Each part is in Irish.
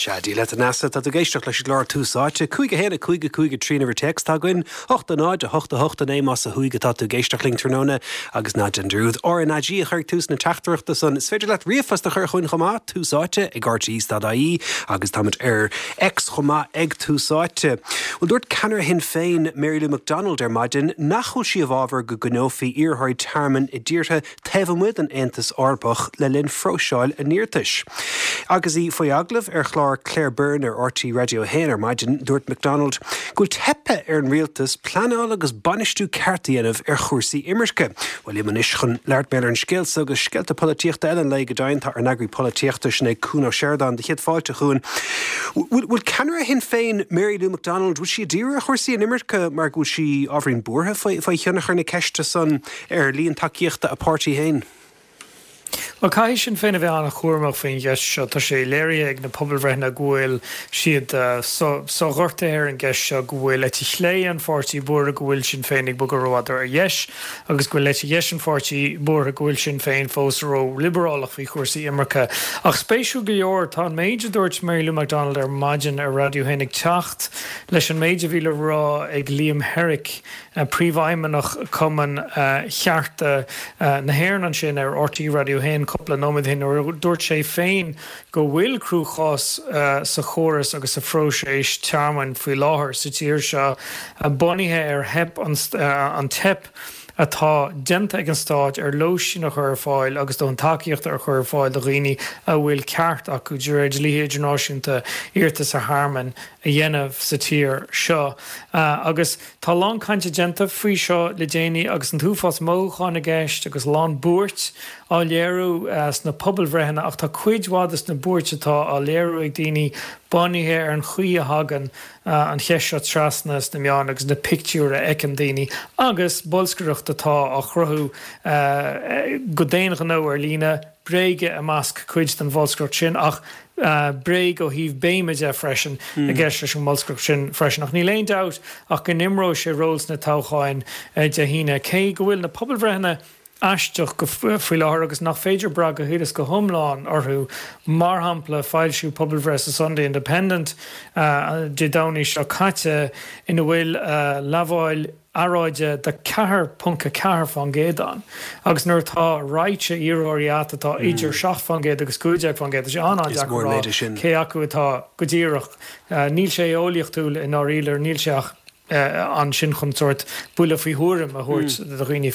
Sea, Dia leat a Neasa, tá tú ag éisteacht leis an gclár Tús Áite. 5 1 5 5 3 an uimhir téacs atá againn, 8 0 8 8 9 más ó thuaidh atá tú ag éisteacht linn tráthnóna agus ná déan dearúd RnaG a chur ag tús na teachtaireachta san. Is féidir leat ríomhphost a chur chugainn chomh maith, Tús Áite ag rte.ie agus táimid ar X chomh maith ag Tús Áite. Bhuel, dúirt ceannaire Shinn Féin, Mary Lou McDonald ar maidin nach bhfuil sí i bhfabhar go gcoinneofaí iarrthóirí tearmainn i dtíortha taobh amuigh den Aontas Eorpach le linn phróiseáil a n-iarratais. Agus í faoi agallamh ar chlár Claire Byrne ar RTÉ Raidió 1 ar maidin, dúirt McDonald go bhfuil teipthe ar an rialtas pleanáil agus bainistiú ceart a dhéanamh ar chúrsaí imirce. Bhuel, liom anois chun labhairt mar gheall ar an scéal so agus scéalta polaitíochta eile an lae go deimhin, tá ár n-eagraí polaitíochta, sin é Cuan Ó Seireadáin. Do chéad fáilte, a Chuain. Bhfuil ceannaire Shinn Féin, Mary Lou McDonald, bhfuil sí ag díriú ar chúrsaí inimirce mar go bhfuil sí ábhairín buartha faoi thionchar na ceiste san ar líon tacaíochta a páirtí féin? Bhuel, caithfidh Sinn Féin a bheith an-chúramach faoin gceist seo. Tá sé léirithe ag na pobalbhreitheanna go bhfuil siad so-ghortaithe ar an gceist seo, go bhfuil eite chlé an pháirtí buartha go bhfuil Sinn Féin ag bogadh rófhada ar dheis agus go bhfuil eite dheis an pháirtí buartha go bhfuil Sinn Féin fós ró-liobrálach faoi chúrsaí imirce. Ach spéisiúil go leor, tá an méid a dúirt Mary Lou McDonald ar maidin ar Raidió 1 ag teacht leis an méid a bhí le rá ag Liam Herrick, Príomhfheidhmeannach Chumann Chearta na hÉireann ansin ar RTÉ Raidió 1 cúpla nóiméad ó shin nuair a dúirt sé féin go bhfuil cruachás sa chóras agus sa phróiseas tearmainn faoi láthair sa tír seo bunaithe ar theip an teip atá déanta ag an stát ar lóistín a chur ar fáil agus dóthain tacaíochta a chur ar fáil do dhaoine a bhfuil ceart acu de réir dlíthe idirnáisiúnta iarratas ar thearmann a dhéanamh sa tír seo. Agus tá a lán cainte déanta faoi seo le déanaí agus an t-uafás mothúchán i gceist agus a lán buairt á léiriú sna pobalbhreitheanna ach tá cuid mhaith de na buairt atá á léiriú ag daoine bunaithe ar an chaoi a thagann an cheist seo trasna sna meáin agus na pictiúir a fheiceann daoine agus bolscaireacht atá á chruthú go d'aon ghnó ar líne. Bréaga i measc cuid den bholscaireacht sin ach bréag ó thaobh béime de freisin i gceist leis an mbolscaireacht sin freisin. Ach níl aon dabht ach go n-imreoidh sé ról sna toghcháin Dé hAoine. Cé go bhfuil na pobalbhreitheanna aisteach faoi láthair agus nach féidir brath go huile is go hiomlán orthu, mar shampla foilsíodh pobalbhreith sa Sunday Independent Dé Domhnaigh seo caite ina bhfuil lamháil earráide de 4.4% ann agus nuair atá raidhse iarrthóirí agat atá idir 7% agus 15%, tá sé an-an-deacair a rá cé acu atá go díreach. Níl sé eolaíochtúil i ndáiríre, níl sé ach ansin chun sórt buille faoi thuairim a thabhairt do dhaoine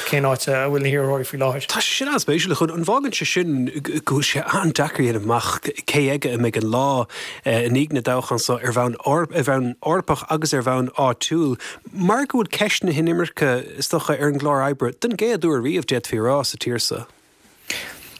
cén áit a bhfuil na hiarrthóirí faoi láthair. Tá sé sin an-spéisiúil, a Chuain. An bhfágann sé sin go bhfuil sé an-deacair a dhéanamh amach cé aige a mbeidh an lá i ndiaidh na dtoghchán seo ar bhonn ar bhonn Eorpach agus ar bhonn áitiúil, mar go bhfuil ceist na hinimirce, is dócha, ar an gclár oibre den gcéad uair riamh, d'fhéadfaí a rá, sa tír seo.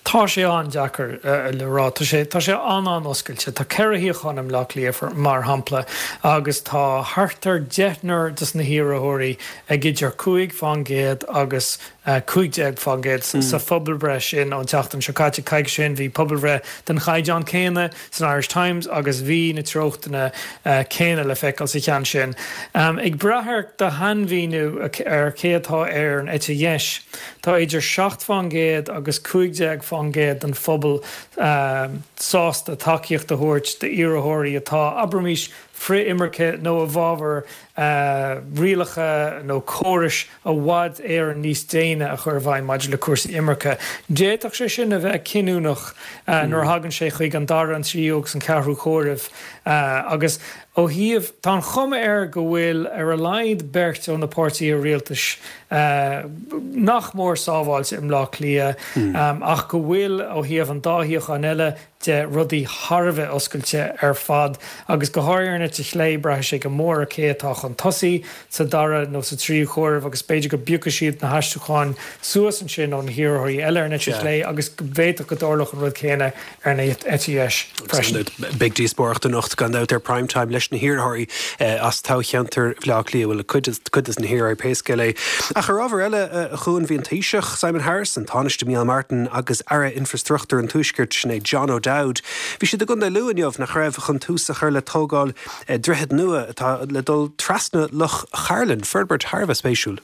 Tá sé an-deacair le rá. Tá sé, tá sé an-an-oscailte. Tá 4 shuíochán i mBleá Cliath, mar shampla, agus tá thart ar deichniúr de na hiarrthóirí ag idir 5% agus 15% sa phobalbhreith sin ón tseachtain seo caite. Coicís ó shin bhí pobalbhreith den chaighdeán céanna san Irish Times agus bhí na treochtanna céanna le feiceáil sa cheann sin. Ag brath ar do shainmhíniú ar cé atá ar an eite dheis, tá idir 7% agus 15% den phobal sásta tacaíocht a thabhairt d'iarrthóirí atá, abraimis, frith-imirce nó i bhfabhar rialacha nó córais i bhfad Éireann níos déine a chur i bhfeidhm maidir le cúrsaí imirce. D'fhéadfadh sé sin a bheith cinniúnach nuair a thagann sé chuig an dara, an tríú agus an ceathrú comhaireamh agus ó thaobh, tá an chuma air go bhfuil ar a laghad beirt ó na páirtithe rialtais nach mór sábháilte i mBleá Cliath ach go bhfuil ó thaobh an dá shuíochán eile, de rudaí thar a bheith oscailte ar fad agus go háirithe ar an eite chlé, braithfidh sé go mór ar cé atá chun tosaigh sa dara nó sa tríú comhaireamh agus b'fhéidir go bpiocfaidh siad na haistriúcháin suas ansin ó na hiarrthóirí eile ar an eite chlé agus go bhféadfadh go dtarlódh an rud céanna ar an eite dheis freisin. Beidh díospóireacht anocht gan dabht ar Prime Time leis na hiarrthóirí as toghcheantar Bhaile Átha Cliath, bhuel, cuid de na hiarrthóirí pé scéal é. Ach ar ábhar eile, a Chuain, bhí an Taoiseach, Simon Harris, an Tánaiste Micheál Martin agus Aire Infreastruchtúir an Tuaiscirt, sin é John O'Dowd, bhí siad i gContae Lú inniu, nach raibh, chun tús a chur le tógáil droichead nua atá le dul trasna Loch Chairlinn, forbairt thar a bheith spéisiúil.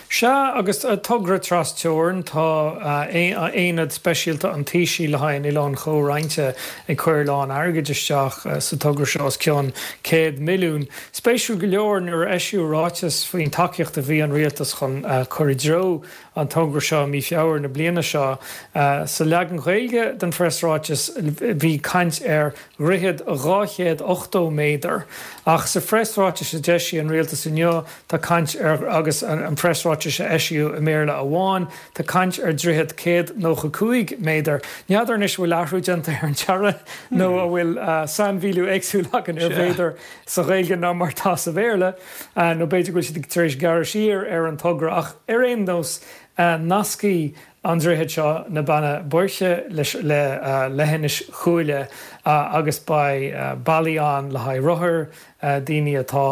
Sea, agus togra tras-teorann, tá aonad speisialta an Taoisigh le haghaidh an Oileáin Chomhroinnte ag cur a lán airgid isteach sa togra seo, os cionn 100 milliún. Spéisiúil go leor, nuair a eisíodh ráiteas faoin tacaíocht a bhí an rialtas chun cur i dtreo an togra seo i mí Feabhra na bliana seo, sa leagan Gaeilge den phreasráiteas bhí caint ar dhroichead 280 méadar, ach sa phreasráiteas a d'eisigh an rialtas inniu, Tá caint ar, agus an preasráiteas a eisíodh i mBéarla amháin, tá caint ar dhroichead 195 méadar. N'fheadar anois an bhfuil athrú déanta ar an dearadh nó an bhfuil sainmhíniú éagsúil againn ar mhéadar sa Ghaeilge ná mar atá sa Bhéarla, nó b'fhéidir go bhfuil siad tar éis gearradh siar ar an togra ach ar aon nós, nascfaidh an droichead seo na Beanna Boirche le leithinis Chuaille agus beidh bealaí ann le haghaidh rothair, daoine atá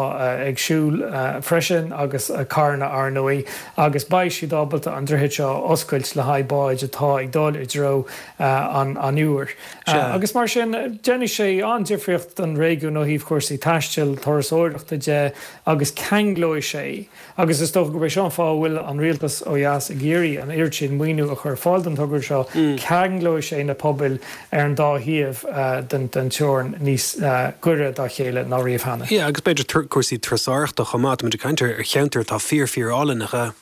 ag siúl freisin agus carranna ar ndóigh agus beidh siad ábalta an droichead seo a oscailt le haghaidh báid atá ag dul i dtreo an Iúir. Agus mar sin déanfaidh sé an-difríocht don réigiún ó thaobh cúrsaí taistil, turasóireachta de agus ceanglóidh sé Agus is dócha gurb é seo an fáth a bhfuil an rialtas ó dheas ag iarraidh an oiread sin maoiniú a chur ar fáil don togra seo, ceanglóidh sé na pobail ar an dá thaobh den teorainn níos gaire dá chéile ná riamh cheana. Yeah, agus b'fhéidir cúrsaí turasóireachta chomh maith, táimid ag caint ar cheantar atá fíor fíor álainn, nach ea?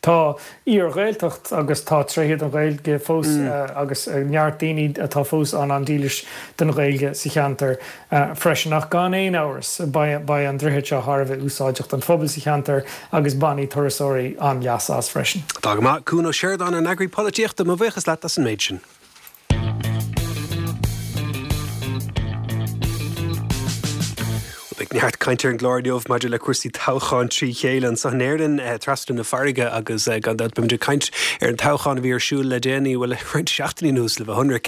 Tá iar-Ghaeltacht agus tá tréithe den Ghaeilge fós agus neart daoine atá fós an-an-dílis don Ghaeilge sa cheantar freisin. Ach gan aon amhras, beidh an droichead seo thar a bheith úsáideach don phobal sa cheantar agus bainfidh turasóirí an-leas as freisin. Tá go maith. Cuan Ó Seireadáin, ár n-eagraí polaitíochta, mo bhuíochas leat as an méid sin. Beidh neart cainte ar an gclár inniu maidir le cúrsaí toghcháin trí chéile anseo in Éirinn, trasna na farraige agus gan dabht beimid ag caint ar an toghchán a bhí ar siúl le déanaí, bhuel, roinnt seachtainí anuas le bheith ionraic,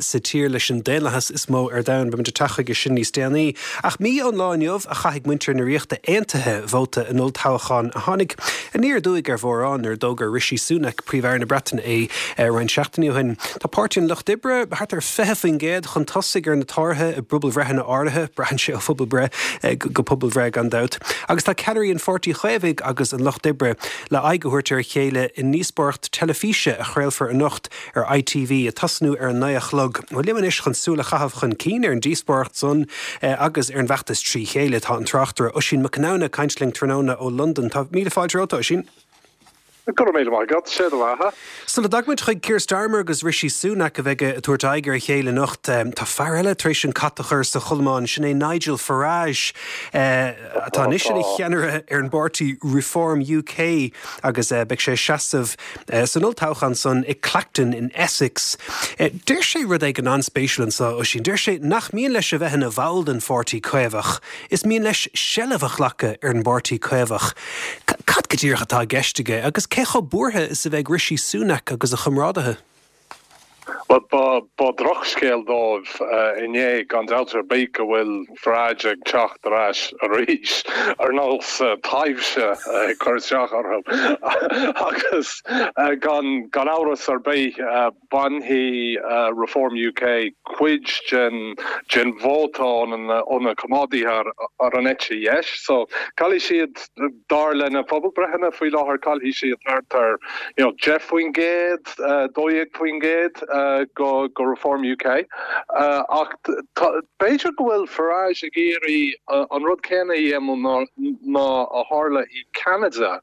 sa tír leis an daonlathas is mó ar domhan. Beimid ag teacht chuige sin níos déanaí. Ach mí ón lá inniu a chaithfidh muintir na Ríochta Aontaithe vóta in olltoghchán a tháinig aniar aduaidh ar mhórán nuair a d'fhógair Rishi Sunak, Príomh-Aire na Breataine é roinnt seachtainí ó shin. Tá Páirtí an Lucht Oibre thart ar 20% chun tosaigh ar na Tóraithe i bpobalbhreitheanna áirithe, braitheann sé ó phobalbhreith go pobalbhreith gan dabht, agus tá ceannairí an Pháirtí Chaomhaigh agus an Lucht Oibre le aghaidh a thabhairt ar a chéile i ndíospóireacht teilifíse a chraolfar anocht ar ITV, ag tosnú ar a naoi a chlog. Bhuel, liom anois chun súil a chaitheamh chun cinn ar an díospóireacht san agus ar an bhfeachtas trí chéile tá an tráchtaire Oisín Mac Conamhna ag caint linn tráthnóna ó Londain. Tá míle fáilte romhat, a Oisín. Go raibh míle maith agat, sé do bheatha. Sula dtagaimid chuig Keir Starmer agus Rishi Sunak a bheidh ag tabhairt aghaidh ar a chéile anocht, tá fear eile tar éis an cat a chur sa chodlamán, sin é Nigel Farage, atá anois ina cheannaire ar an bpáirtí Reform UK agus beidh sé ag seasamh san olltoghchán san i Clacton in Essex. Deir sé rud éigin an-spéisiúil anseo, Oisín. Deir sé nach mian leis a bheith ina bhall den pháirtí Caomhach. Is mian leis seilbh a ghlacadh ar an bPáirtí Caomhach. Cad go díreach atá i gceist aige agus cé chomh buartha is a bheidh Rishi Sunak agus a chomrádaithe? Bhuel, ba dhrochscéal dóibh inné, gan dabht ar bith, go bhfuil Farage ag teacht ar ais arís, ar nós taibhse ag cur isteach orthu. Agus gan amhras ar bith, Bainfidh Reform UK cuid den vóta ó na coimeádaithe ar an eite dheis. So, caillfidh siad, dar le na pobalbhreitheanna faoi láthair, caillfidh siad thart ar you know 10%, 12% go go Reform UK. Ach b'fhéidir go bhfuil Farage ag iarraidh an rud céanna a dhéanamh ná a tharla i Ceanada.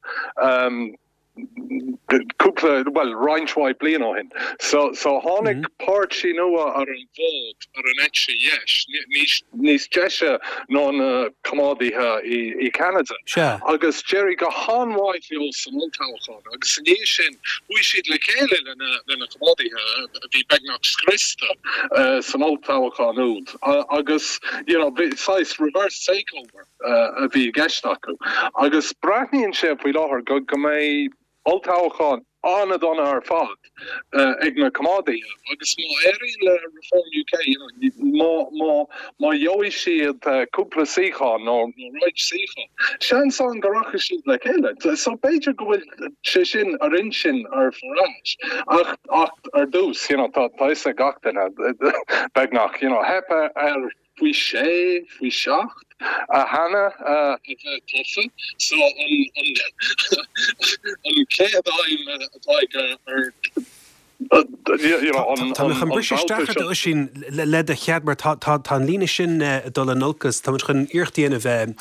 cúpla, bhuel, roinnt mhaith bliain ó shin. So, so tháinig páirtí nua ar an bhfód ar an eite dheis, níos, níos deise ná na coimeádaithe i, i Ceanada. Sea. Agus d'éirigh go han-mhaith leo san olltoghchán agus i ndiaidh sin chuaigh siad le chéile le na, le na coimeádaithe a bhí beagnach scriosta san olltoghchán úd agus, you know, bhí saghas reverse takeover. a bhí i gceist acu. Agus breathnaíonn sé faoi láthair go go mbeidh olltoghchán an-dona ar fad ag na coimeádaithe agus má éiríonn le Reform UK, you know, má, má, má gheobhaidh siad cúpla suíochán nó roinnt suíochán, seans ann go rachaidh siad le chéile. So b'fhéidir go bhfuil sé sin ar intinn ar Farage. Ach, ach ar dtús, you know, tá, tá fhios ag gach duine, beagnach, you know, theip ar. Faoi sé, faoi sheacht cheana a bheith tofa. So an an chéad aidhm atá aige ar you know an Tá mé chun briseadh isteach ort a Oisín le do chead mar tá tá tá an líne sin ag dul in olcas. Tá muid chun iarracht a dhéanamh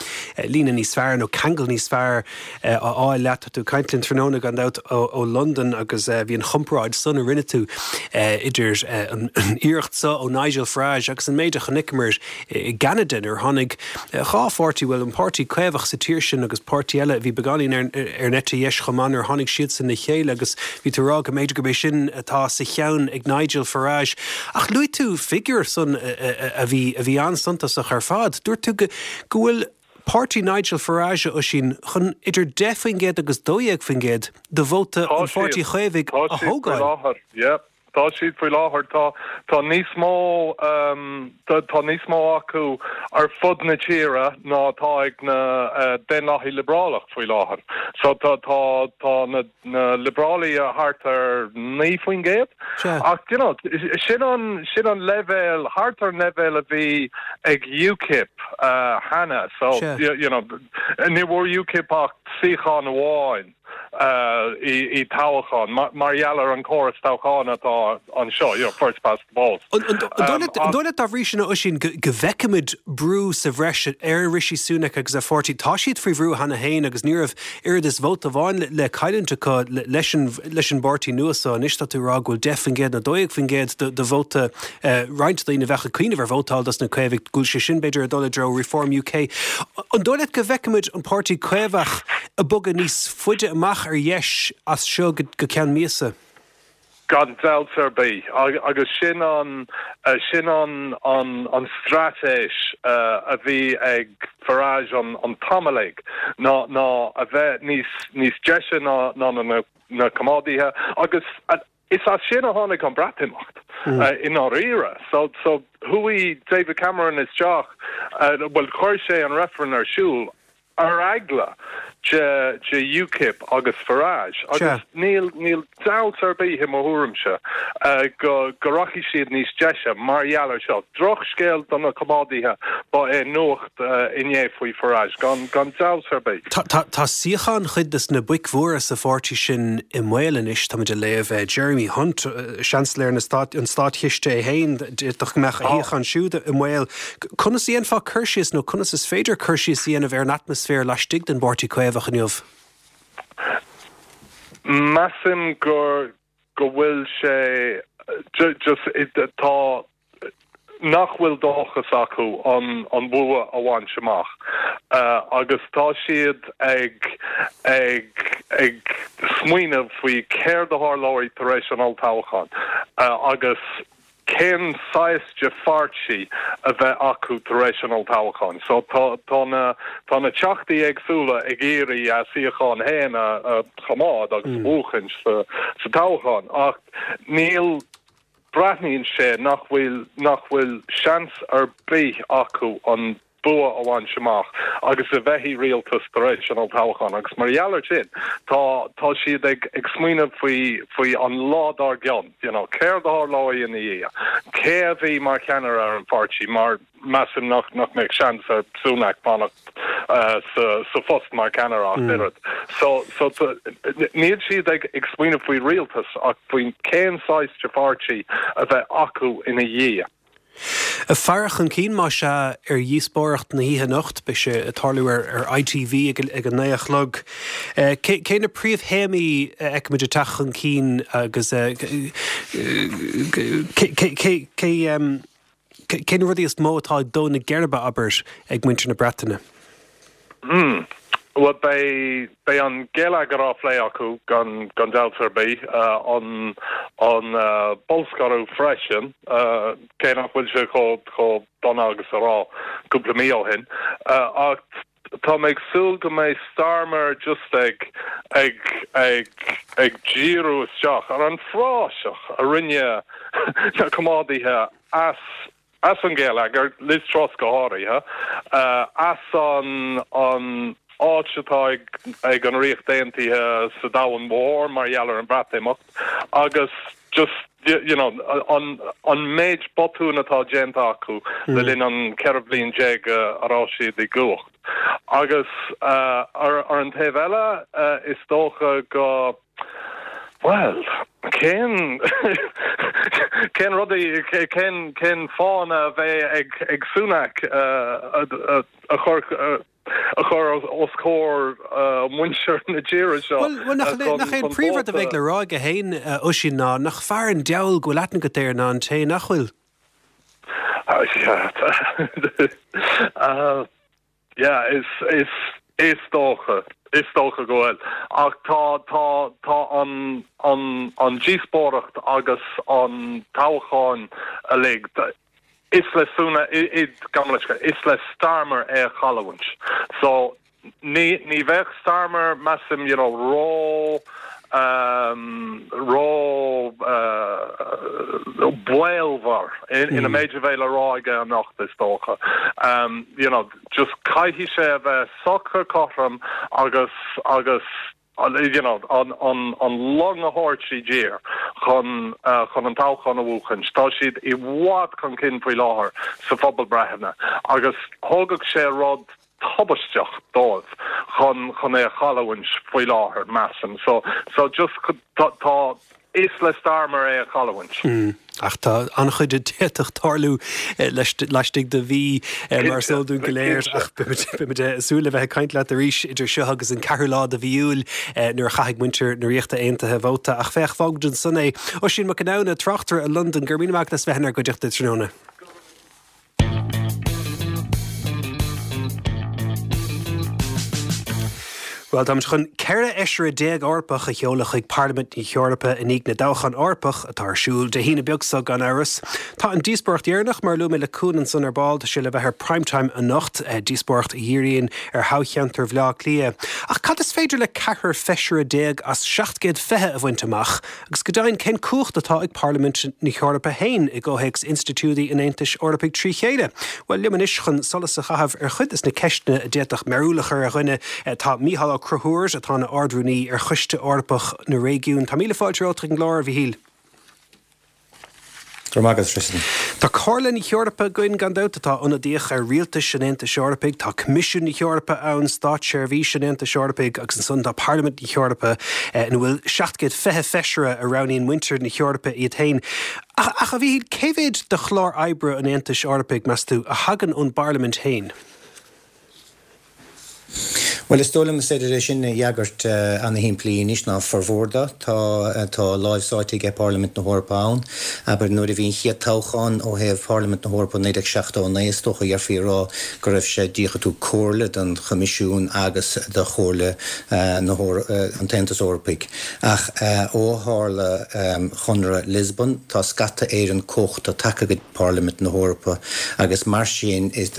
líne níos fearr nó ceangal níos fearr a fháil leat. Tá tú ag caint linn tráthnóna gan dabht ó Londain agus bhí an chomparáid san a rinne tú idir an iarracht so ó Nigel Farage agus an méid a chonaiceamar i gCeanada nuair a tháinig dhá pháirtí, bhuel an páirtí Caomhach sa tír sin agus páirtí eile a bhí beagáinín ar an eite dheis chomh maith nuair a tháinig siadsan le chéile agus bhí tú ag rá go mb'fhéidir gurb é sin atá sa cheann ag Nigel Farage. Ach luaigh tú figiúr san a bhí a bhí an-suntasach ar fad. Dúirt tú go bhfuil Páirtí Nigel Farage, a Oisín, chun idir 10% agus 12% de vóta Tá an Pháirtí siad. Chaomhaigh Tá a siad faoi thógáil. láthair. Yeah. Tá siad faoi láthair. Tá, tá níos mó, tá níos mó acu ar fud na tíre ná atá ag na Daonlathaigh Liobrálach faoi láthair. So tá, tá, tá na, na Liobrálaigh thart ar 9%. Sea. Ach, you know, sin an, sin an leibhéal, thart ar an leibhéal a bhí ag UKIP cheana. So, Sea. you know, ní bhfuair UKIP ach suíochán amháin i toghchán mar gheall ar an córas toghcháin atá anseo, you know, first past the post. An dóigh leat dá bhrí sin, a Oisín, go bhfeicfimid brú sa bhreis ar Rishi Sunak agus a pháirtí? Tá siad faoi bhrú cheana féin agus ní raibh oiread is vóta amháin le cailliúint acu leis an bpáirtí nua so. Anois tá tú ag rá go bhfuil 10% nó 12% de vóta roinnt daoine a bheadh ag cuimhneamh ar vótáil dos na Caomhaigh, go bhfuil sé sin b'fhéidir ag dul i dtreo Reform UK. An dóigh leat go bhfeicfimid an páirtí Caomhach ag bogadh níos faide amach ar dheis as seo go ceann míosa? Gan dabht ar bith. Agus sin an, sin an, an, an straitéis a bhí ag Farage an, an t-am uilig, ná, ná a bheith níos, níos deise ná, ná na, na Coimeádaithe agus is as sin a tháinig an Breatimeacht i ndáiríre. So, so chuaigh David Cameron isteach, bhuel chuir sé an reifreann ar siúl ar eagla de de UKIP agus Farage agus níl níl dabht ar bith i mo thuairimse go go rachaidh siad níos deise mar gheall ar seo. Drochscéal do na Coimeádaithe ba ea nuacht inné faoi Farage, gan gan dabht ar bith. Tá tá tá suíocháin chuid de na boic mhóra sa pháirtí sin i mbaol anois, táimid ag léamh Jeremy Hunt, Seansailéir na Stát an Státchiste é féin, d'fhéadfadh go mbeadh a shuíochán siúd i mbaol. Conas a dhéanfá cur síos, nó conas is féidir cur síos a dhéanamh ar an atmaisféar laistigh den bPáirtí Caomhach inniu? Measaim gur, go bhfuil sé just, tá, nach bhfuil dóchas acu an, an bua a bhaint amach agus tá siad ag, ag, ag smaoineamh faoi céard a tharlóidh tar éis an olltoghcháin agus cén saghas de pháirtí a bheidh acu tar éis an olltoghcháin. So tá tá na tá na teachtaí éagsúla ag iarraidh a suíocháin féin a a choimeád agus a bhuachaint sa sa toghchán ach níl breathnaíonn sé nach bhfuil nach bhfuil seans ar bith acu an bua a bhaint amach agus a bheith i rialtas tar éis an olltoghcháin agus mar gheall ar sin tá tá siad ag ag smaoineamh faoi faoi an lá dár gcionn you know céard a tharlóidh ina dhiaidh cé a bheidh mar cheannaire ar an pháirtí mar measaim nach nach mbeadh seans ar Sunak fanacht sa sa phost mar cheannaire ach oiread so so níl siad ag ag smaoineamh faoi rialtas ach faoin cén saghas de pháirtí a bheidh acu ina dhiaidh. Faire chun cinn, más ea, ar dhíospóireacht na hoíche anocht. Beidh sé ag tarlú ar ITV ag a 9 a chlog. Cé na príomhthéamaí a fheicimid ag teacht chun cinn agus cé na rudaí is mó atá ag dó na geirbe, abair, ag muintir na Breataine? Hmm. Bhuel, beidh, beidh an geilleagar á phlé acu, gan, gan dabht ar bith. An, an bolscaireacht freisin, cé nach bhfuil sé chomh, chomh dona agus a raibh cúpla mí ó shin. Ach tá mé ag súil go mbeidh Starmer just ag, ag, ag, ag díriú isteach ar an phraiseach a rinne na coimeádaithe as, as an gheilleagar, Liz Truss go háirithe, as an an áit atá ag ag an Ríocht Aontaithe sa domhan mhór mar gheall ar an Bhreatimeacht agus just. You know, an an méid botún atá déanta acu le linn an 14 bhliain a raibh siad i gcumhacht. Agus ar an taobh eile, is dócha go, bhuel, cén cén rud, cén cén fáthanna a bheidh ag ag Sunak a chur a chur os comhair muintir na tíre seo Bhuel, nach nach é an príomhrud a bheidh le rá aige féin, a Oisín, ná nach fearr an diabhal go bhfuil aithne agat air ná an té nach bhfuil? Yeah, is, is, is dócha, is dócha go bhfuil. Ach tá, tá, tá an, an, an díospóireacht agus an toghchán uilig, Is le Sunak, gabh mo leithscéal, is le Starmer é a chailliúint. So, ní, ní bheadh Starmer, measaim, you know, ró, ehm, ró, eh, baolmhar ina méid a bheidh le rá aige anocht, is dócha. Ehm, you know, just caithfidh sé a bheith socair cothrom agus, agus, you know, an long a thabhairt i dtír chun chun an toghchán a bhuachaint. Tá siad i bhfad chun cinn faoi láthair sa phobalbhreitheanna agus thógfadh sé rud tubaisteach dóibh chun chun é a chailliúint faoi láthair, measaim. So, so just tá, tá, Is le Starmer é a chailliúint. Ach tá an-chuid a d'fhéadfadh tarlú laistigh de mhí, mar is eol dúinn go léir. Ach beimid ag súil le bheith ag caint leat arís idir seo agus an ceathrú lá de mhí Iúil nuair a chaithfidh muintir na Ríochta Aontaithe vóta. Ach féach, fágfaimid ansan é. Oisín Mac Conamhna, tráchtaire i Londain, go raibh míle maith agat as bheith inár gcuideachta tráthnóna. Bhuel, táimid chun 14 fheisire Eorpach a sheoladh chuig Parlaimint na hEorpa i ndiaidh na dtoghchán Eorpach atá ar siúl Dé hAoine beag seo gan amhras. Tá an díospóireacht dheireanach, mar a luaigh mé le Cuan ansan ar ball, tá sé le bheith ar Prime Time anocht, díospóireacht a dhíríonn ar thoghcheantar Bhaile Átha Cliath. Ach cad is féidir le ceathrar feisire as 720 a bhaint amach? Agus go deimhin, cén cumhacht atá ag Parlaimint na hEorpa féin i gcomhthéacs institiúidí an Aontais Eorpaigh trí chéile? Bhuel, liom anois chun solas a chaitheamh ar chuid des na ceisteanna a d'fhéadfadh mearúil a chur ar dhuine, tá Mícheál Ó Conchúir, atá ina Ard-Rúnaí ar Choiste Eorpach na Réigiún. Tá míle fáilte romhat chuig an gclár, a Mhíchíl. Go raibh maith agat, Tristan. Tá Comhairle na hEorpa againn, gan dabht, atá ionadaíoch ar rialtais an Aontais Eorpaigh. Tá Coimisiún na hEorpa ann, Státseirbhís an Aontais Eorpaigh, agus ansan tá Parlaimint na hEorpa, ina bhfuil 720 feisire a roghnaíonn muintir na hEorpa iad féin. Ach, a Mhíchíl, cé mhéad de chlár oibre an Aontais Eorpaigh, meas tú, a thagann ón bParlaimint féin? Bhuel, is dóigh liom is féidir é sin a fhreagairt ana-shimplí anois, ná formhór de. Tá, tá láimh sáite aige Parlaimint na hEorpa ann. Abair, nuair a bhí an chéad toghchán ó thaobh Pharlaimint na hEorpa i 1979, is dócha dhéarfaí a rá go raibh sé díreach ag tabhairt comhairle don Choimisiún agus do Chomhairle na an tAontas Eorpaigh. Ach ó tharla Chonradh Lisbon, tá scata Éireann cumhachta tagtha go. Parlaimint na hEorpa agus mar sin is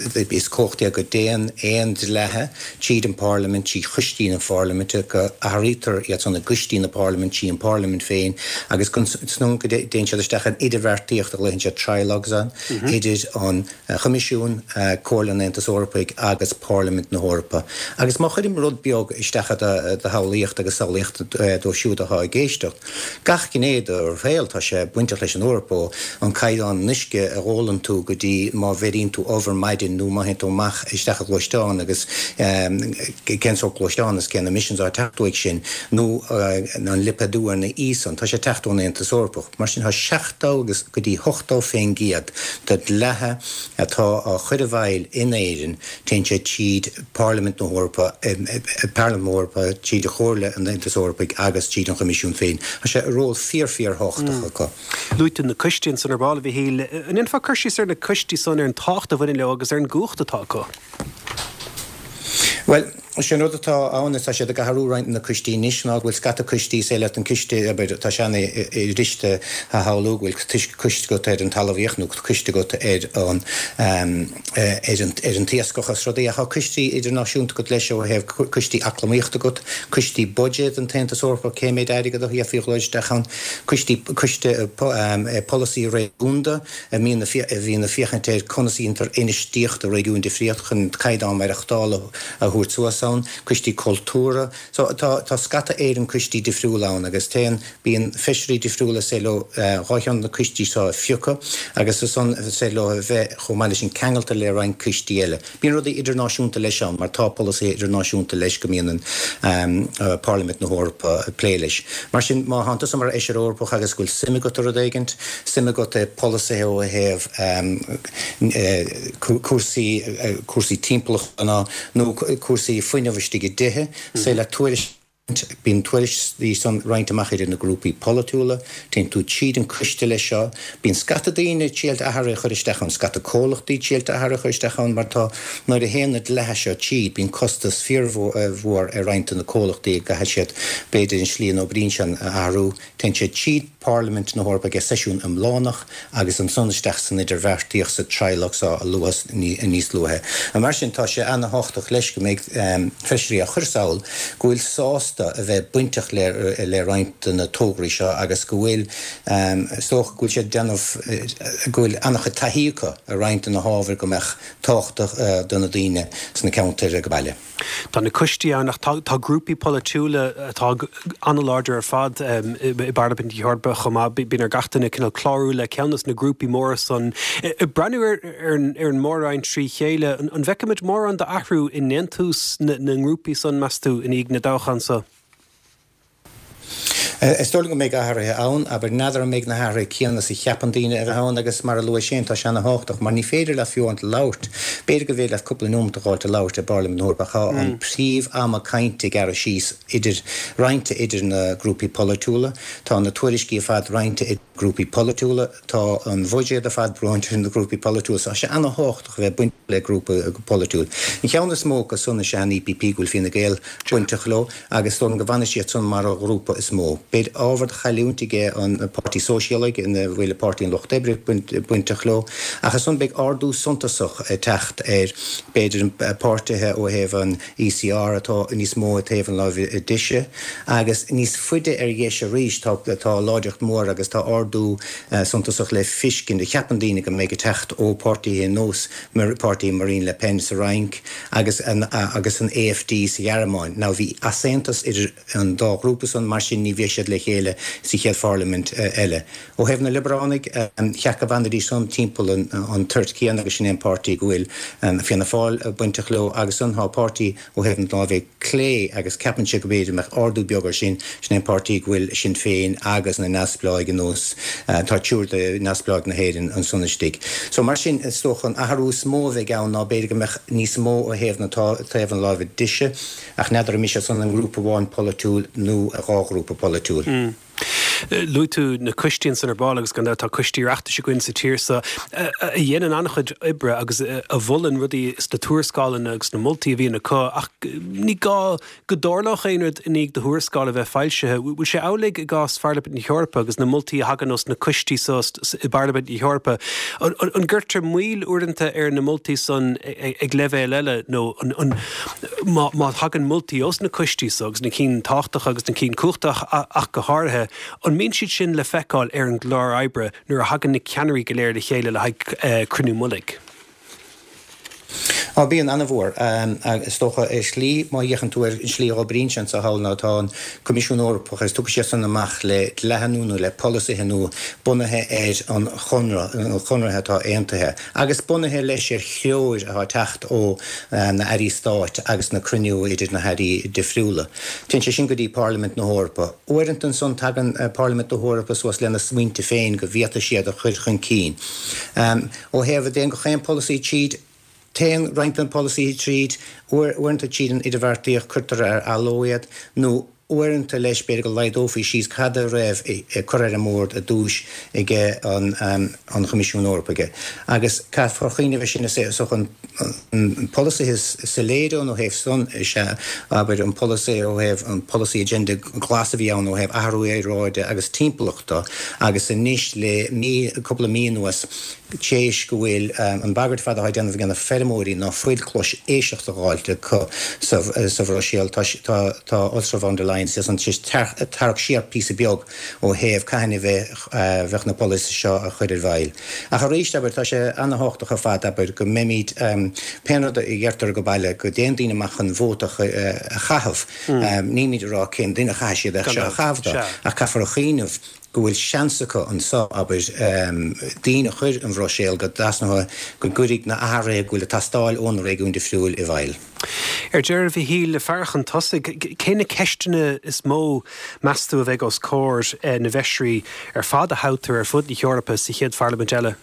cumhacht é go dtéann aon dlíthe tríd an bParlaimint, trí choistí na Pharlaiminte, go athraítear iad san i gcoistí na Parlaiminte, trí an Pharlaimint féin agus go dtéann siad isteach in idirbheartaíocht a ghlaonn siad trilogues ann idir an Choimisiún, Comhairle an Aontais Eorpaigh agus Parlaimint na hEorpa. Agus má chuirim rud beag isteach i do shamhlaíocht agus samhlaíocht dóibh siúd atá ag éisteacht, Gach gné de do shaol, tá sé bainteach leis an Eoraip, ó an caighdeán an uisce a ólann tú go dtí má bheiríonn tú ubh ar maidin nó má théann tú amach isteach i gluaisteán agus cén sórt gluaisteán is cén emissions atá ag teacht uaidh sin nó an lipéadú ar na íosanna, tá sé ag teacht ón Aontas Eorpach. Mar sin tá 70 agus go dtí 80 fén gcéad de dlíthe atá á chur i bhfeighil in Éirinn, téann sé tríd Parlaimint na hEorpa, Parlaimint na hEorpa, tríd Chomhairle an Aontais Eorpaigh agus tríd an Choimisiún féin. Tá sé ról fíor fíor-thábhachtach acu. Luaigh tú na coistí ansan ar ball, a Mhichíl. An ndéanfá cur síos ar na coistí san, ar an tábhacht a bhaineann leo agus ar an gcumhacht atá acu? Bhuel, sé an rud atá ann is tá siad ag athrú roinnt de na coistí anois ná go bhfuil scata coistí, is é leat an ciste, abair, tá sé an-fhuiriste a shamhlú go bhfuil coiste agat ar an talmhaíocht nó coiste agat ar an ar an ar an t-iascach is rudaí ach tá coistí idirnáisiúnta agat leis ó thaobh coistí eacnamaíochta agat, coistí buiséid an tAontas Eorpach, cé méid airgead a d'fhéadfaí a dhul isteach ann, coistí coiste polasaí réigiúnda a mbíonn a bhíonn ag féachaint ar conas a dhéantar infheistíocht i réigiúin difríocht chun caighdeán maireachtála a thabhairt suas ann. ann, coistí cultúrtha. So tá tá scata éigin coistí difriúla ann agus téann, bíonn feisirí difriúla is féidir leo dhá cheann de na coistí seo a phiocadh agus ansan is féidir leo a bheith chomh maith leis sin ceangailte le roinnt coistí eile. Bíonn rudaí idirnáisiúnta leis ann mar tá polasaithe idirnáisiúnta leis go mbíonn an Parlaimint na hEorpa ag plé leis. Mar sin má thánn tusa mar Fheisire Eorpach agus go bhfuil suim agat i rud éigint, suim agat i polasaithe ó thaobh cúrsaí, cúrsaí timpeallachta ná nó cúrsaí fuinneamh istigh i dtithe, is féidir leat tuairisc a roinnt, bíonn tuairiscí san roinnte amach idir na grúpaí polaitiúla, téann tú tríd an coiste leis seo, bíonn scata daoine triailte athruithe a chur isteach ann, scata comhlachtaí triailte athruithe a chur isteach ann mar tá, nuair a théann na dlíthe seo tríd, bíonn costas fíormhór ar roinnt de na comhlachtaí a gcaithfidh siad b'fhéidir an slí a n-oibríonn siad a athrú. Téann sé tríd Parlaimint na hEorpa ag seisiún iomlánach agus ansan isteach san idirbheartaíocht sa trilogue seo a luadh níos luaithe. Mar sin tá sé ana-thábhachtach leis go mbeidh feisirí á chur sall go bhfuil sásta a bheith bainteach le roinnt de na tograí seo agus go bhfuil, is dócha, go bhfuil siad ag déanamh, go bhfuil ana-chuid taithí acu ar roinnt de na hábhair go mbeadh tábhachtach do na daoine sna ceantair ag baile. Tá na coistí ann ach tá grúpaí polaitiúla atá an-láidir ar fad i bParlaimint na hEorpa chomh maith. Bíonn ar gach duine cineál clárú le ceann de na grúpaí móra san. Ag breathnú ar an mór-roinn trí chéile, an bhfeicfimid mórán d'athrú i ndéantús na ngrúpaí san, meas tú, i ndiaidh na dtoghchán so? Is dóigh liom go mbeidh athruithe ann, abair, n'fheadar an mbeidh na hathruithe céanna is a cheapann daoine a bheith ann agus mar a luais féin, tá sé ana-thábhachtach mar ní féidir leat fiú amháin labhairt, b'fhéidir go bhféidir leat cúpla nóimeat a dh'fháilt a labhairt i bParlaimint na hEorpa ach tá an príomh-ama cainte gearrtha síos idir, roinnte idir na grúpaí polaitiúla, tá na tuairiscí ar fad roinnte idir grúpaí polaitiúla, tá an bhuiséad ar fad roinnte idir na grúpaí polaitiúla so tá sé ana-thábhachtach a bheith bainteach le grúpa polaitiúil. An cheann is mó acu san is ea an EPP go bhfuil Fine Gael bainteach leo. agus is dóigh liom go bhfanfaidh siad san mar an ghrúpa is mó. Beidh ábhar de chailliúint aige an Páirtí Sóisialaigh, ina bhfuil Páirtí an Lucht Oibre bainteach leo, ach ansan beidh ardú suntasach ag teacht ar, b'fhéidir, páirtithe ó thaobh an ECR atá níos mó ag taobh an láimhe deise, agus níos faide ar dheis arís tá tá láidreacht mhór agus tá ardú suntasach le fiscint, a cheapann daoine go mbeidh ag teacht ó páirtithe nós páirtí Marine Le Pen sa Fhrainc agus agus an AfD sa Ghearmáin. Now bhí easaontas idir an dá ghrúpa san, mar sin ní bheidh siad le chéile sa chéad pharlaimint eile. Ó thaobh na Liobaránaigh, cheap go bhfanfaidís san timpeall an toirt chéanna agus sin é an páirtí go bhfuil Fianna Fáil bainteach leo agus ansan tá páirtí Ó thaobh na láimhe clé, agus ceapann sé go mb'fhéidir go mbeadh ardú beag air sin, sin é an páirtí go bhfuil Sinn Féin agus na neamhspleáigh anuas, tá triúr de neamhspleáigh na hÉireann ansan istigh. So mar sin, is dócha an athrú is mó a bheidh ann ná b'fhéidir go mbeadh níos mó ó thaobh na taobh an láimhe deise, ach n'fheadar an mbeidh sé san i ngrúpa amháin polaitiúil nó i dhá ghrúpa polaitiúil. Luaigh tú na coistí ansan ar ball agus gan dabht tá coistí Oireachtais againn sa tír seo a dhéanann an-chuid oibre agus a mholann rudaí sna tuarascálanna agus sna moltaí a bhíonn acu ach ní gá go dtarlódh aon rud i ndiaidh do thuarascáil a bheith foilsithe. Bhfuil sé amhlaidh i gcás Pharlaimint na hEorpa agus na moltaí a thagann ós na coistí seo i bParlaimint na hEorpa? An gcuirtear moill uaireanta ar na moltaí san ag leibhéal eile nó an Má thagann moltaí ós na coistí so, agus na cinn tábhachtacha agus na cinn cumhachtacha ach go háirithe, an mbíonn siad sin le feiceáil ar an gclár oibre nuair a thagann na ceannairí go léir le chéile le haghaidh cruinniú mullaigh? Á, bíonn, an-mhór. Is dócha, ar shlí, má fhéachann tú ar an slí a oibríonn sé anseo thall ná tá an Coimisiún Eorpach agus tiocfaidh siad san amach le dlíthe nua nó le polasaithe nua bunaithe ar an chonradh, na conartha atá aontaithe. agus bunaithe leis ar threoir atá ag teacht ó na Airí Stáit agus na cruinniú idir na hAirí difriúla. Téann sé sin go dtí Parlaimint na hEorpa. Uaireanta ansan tagann Parlaimint na hEorpa suas lena smaointe féin go bhféadfaidh siad a chur chun cinn. Ó thaobh an dtéann gach aon polasaí tríd, téann roinnt de na polasaithe tríd, uaireanta tríd an idirbheartaíocht cuirtear ar athló iad nó Uaireanta leis, b'fhéidir go laghdófaí síos cad a raibh curtha ar an mbord i dtús aige an Choimisiún Eorpaigh. Agus caithfear cuimhneamh air sin, is dócha an polasaithe is soiléire ó thaobh san is ea, abair, an polasaí ó thaobh an polasaí agenda glas a bhí ann ó thaobh athrú aeráide agus timpeallachta agus anois le mí, cúpla mí anuas. Théis go bhfuil an bhagairt ar fad atá á déanamh ag na feirmeoirí ná fuil cluas éisteachta dh'fháilt acu sa Bhruiséil, tá Ursula von der Leyen ansan tar éis tarrac siar píosa beag ó thaobh cathain a bheadh na polasaithe seo á chur i bhfeighil. Ach arís, abair, tá sé ana-thábhachtach ar fad, abair, go mbeimid, pén rud a dheirtear go baile, go dtéann daoine amach chun vóta a chaitheamh. Nílimid ag rá cén duine a chaithfidh siad é seo a chaitheamh dó, ach caithfear a chuimhneamh go bhfuil seans acu anso, abair, daoine a chur an Bhruiséil go dtrasnóidh, go gcuirfidh na athruithe go bhfuil ag teastáil ó na réigiúin difriúil i bhfeighil. Ar deireadh, a Mhichíl, ag faire chun tosaigh, cé na ceisteanna is mó, meas tú, a bheidh os comhair na bhfeisirí ar fad a thoghtar ar fud na hEorpa sa chéad pharlaimint eile?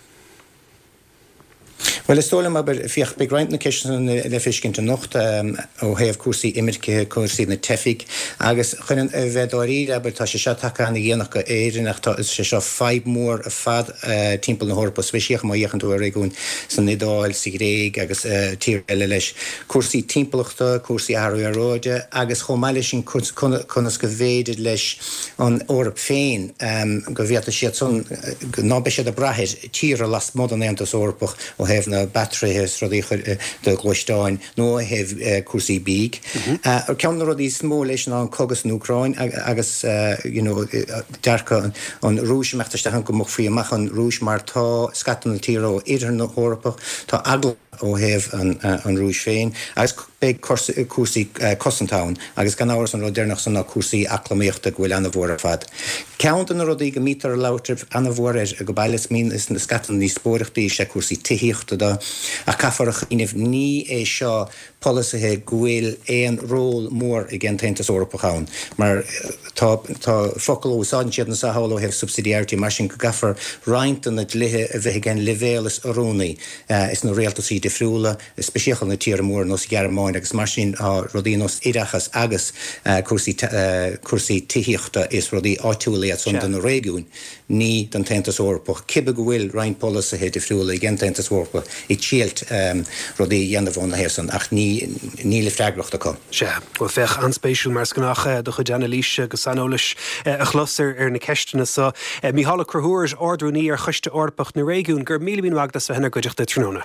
Bhuel, is dóigh liom, abair, féach, beidh roinnt na ceisteanna le feiscint anocht ó thaobh cúrsaí imirce, cúrsaí na teifigh agus chun a bheith dáiríre, abair, tá sé seo tagtha ana-dhéanach go Éirinn ach tá sé seo fadhb mhór ar fad timpeall na hEorpa, speisialta má fhéachann tú ar réigiúin san Iodáil, sa Ghréig agus tíortha eile leis. Cúrsaí timpeallachta, cúrsaí athrú aeráide agus chomh maith leis sin conas go bhféidir leis an Eoraip féin go bhféadfaidh siad san, ná beidh siad ag brath ar tíortha lasmuigh den Aontas Eorpach ó thaobh na batteries is rudaí a chur do ghluaisteáin nó ó thaobh cúrsaí bídh. Ceann de na rudaí is mó leis ná an cogadh san Úcráin agus you know dearcadh an Rúis imeacht isteach ann go mbogfaí amach an Rúis mar tá scata na tíortha ó oirthear na hEorpa, tá eagla ó thaobh an Rúis féin agus beidh cúrsaí cosanta ann agus gan amhras an rud deireanach san ná cúrsaí eacnamaíochta go bhfuil ana-mhór ar fad. Ceann de na rudaí go mbítear ag labhairt ana-mhór air go baile is mbíonn is na scata na ndíospóireachtaí is ea cúrsaí tithíochta do ach caithfear a chuimhneamh ní é seo polasaithe go bhfuil aon ról mór ag an tAontas Eorpach ann mar tá tá focal a úsáideann siad anso thall ó thaobh subsidiarity mar sin go gcaithfear roinnt de na dlíthe a bheith ag an leibhéal is oiriúnaí is na rialtasaí difriúla, speisialta na tíortha móra nós Ghearmáin agus mar sin tá rudaí nós oideachas agus cúrsaí cúrsaí tithíochta is rudaí áitiúla iad san do na réigiúin, ní don tAontas Eorpach, cibe go bhfuil roinnt polasaithe difriúla ag an tAontas Eorpach ag triailt rudaí a dhéanamh óna thaobh san ach ní níl freagracht acu. Sea. Bhuel, féach, an-spéisiúil mar is gnách do chuid anailíse agus saineolais a chlos ar na ceisteanna so. Mícheál Ó Conchúir, Ard-Rúnaí ar Choiste Eorpach na Réigiún, go raibh míle míle maith agat as bheith inár gcuideachta tráthnóna.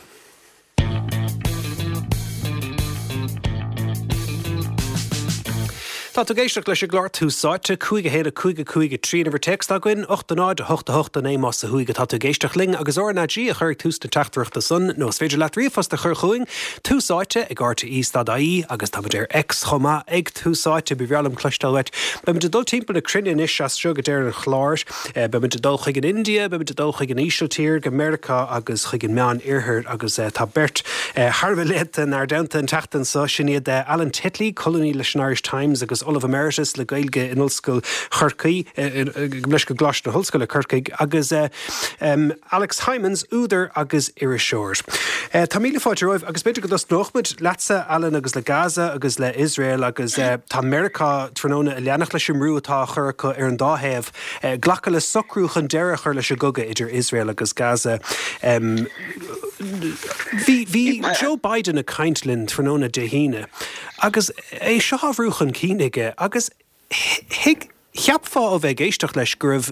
Tá tú ag éisteacht leis an gclár Tús Áite, 5 1 5 5 3 an uimhir téacs atá againn, 8 0 8 8 9 más ó thuaidh atá tú ag éisteacht linn agus RnaG a chur ag tús na teachtaireachta san nó is féidir leat ríomhphost a chur chugainn, Tús Áite ag RTÉ stad IE agus táimid ar X chomh maith ag Tús Áite. Ba bhreá liom cloisteáil uait. Beimid ag dul timpeall na cruinne anois as seo go deireadh an chláir. Beimid ag dul chuig an India, beimid ag dul chuig an Ísiltír, go Meiriceá agus chuig an Meán Oirthear agus tá beirt thar a bheith léannta inár dteannta an tseachtain seo. Sin iad Alan Titley, colúnaí leis an Irish Times agus Ollamh Emeritus le Gaeilge in Ollscoil Chorcaí, leis go gColáiste na hOllscoile Corcaigh agus Alex Hijmans, údar agus iriseoir. Tá míle fáilte romhaibh agus b'fhéidir go dtosnódh muid leatsa, Alan, agus le Gaza agus le Iosrael agus tá Meiriceá tráthnóna ag leanacht leis an mbrú atá á chur acu ar an dá thaobh glacadh le socrú chun deireadh a chur leis an gcogadh idir Iosrael agus Gaza. Bhí bhí Joe Biden ag caint linn tráthnóna Dé hAoine agus é seo á bhrú chun cinn aige agus Thuig, cheapfá ó bheith ag éisteacht leis go raibh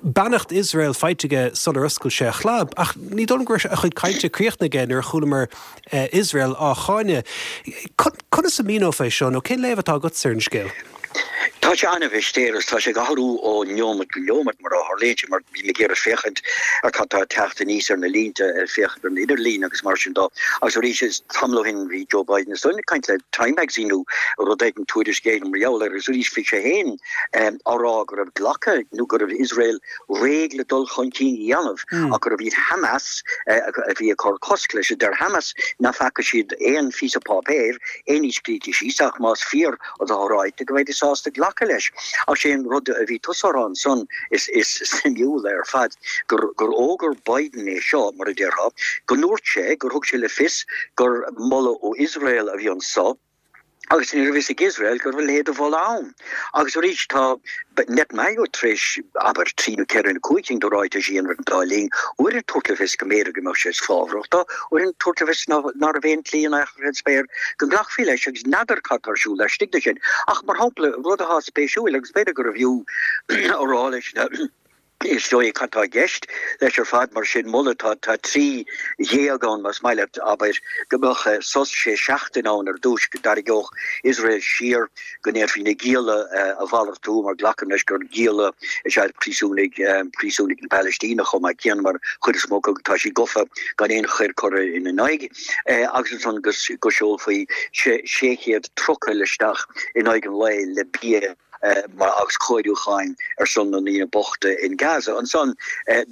beannacht Iosrael faighte aige sular oscail sé a chlab, ach ní dóigh liom go raibh a chuid cainte críochnaithe aige nuair a chualamar Iosrael á cháineadh. Conas a mhíneofá é seo, nó cén léamh atá agatsa ar an scéal? Tá sé an-mhistéireach. Tá sé ag athrú ó neomat go neomat, mar a tharlaíonn sé, mar bím ag iarraidh féachaint ar cad tá ag teacht aníos ar na línte, ag féachaint ar an idirlíon agus mar sin dó. Agus arís, tamall ó shin bhí Joe Biden is dóigh liom ag caint le Time Magazine nó rud éigin, tuairisc éigin mar gheall air agus arís bhí sé féin á rá go raibh glactha nó go raibh Iosrael réidh le dul chun cinn a dhéanamh ach gurbh iad Hamas a bhí ag cur cosc leis. Deir Hamas nach bhfaca siad aon phíosa páipéir, aon ní scríte síos ach más fíor atá ráite go mbeidís sásta glacadh leis. Ach sé an rud a bhí tusa a rá ansan is suimiúla ar fad gur fhógair Biden é seo, mar a déarfá, go ndúirt sé gur thug sé le fios gur moladh ó Iosrael a bhí anso agus ní raibh fhios ag Iosrael go raibh a leithéid de mholadh ann. Agus arís tá Netanyahu tar éis, abair, trí nó ceithre nó cúig cinn de ráitis a dhéanamh ar an dá linn, uair ag tabhairt le fios go mb'fhéidir go mbeadh sé fábhrach dó, uair ag tabhairt le fios ná raibh aon tslí in aon chor ar spéir go nglacfaí leis agus n'fheadar cad tá ar siúl laistigh de sin. Ach mar shampla, rud atá spéisiúil agus b'fhéidir gurbh fhiú a rá leis na. Is dóigh cad tá i gceist leis ar fad mar sin, moladh, tá tá 13 ann más maith leat, abair, go mbeadh sos sé seachtaine ann ar dtús, go dtarraingeodh Iosrael siar, go ndéanfaí na gialla a mhalartú, mar glacaim leis gur gialla is ea príosúnaigh, príosúnaigh na Palaistíne chomh maith céanna, mar chuid is mó acu tá siad gofa gan aon choir curtha ina n-aghaidh, agus ansan go seolfaí 600 trucail isteach in aghaidh an lae le bia. agus cóiriúcháin ar son na ndaoine bochta in Gaza. Ansan,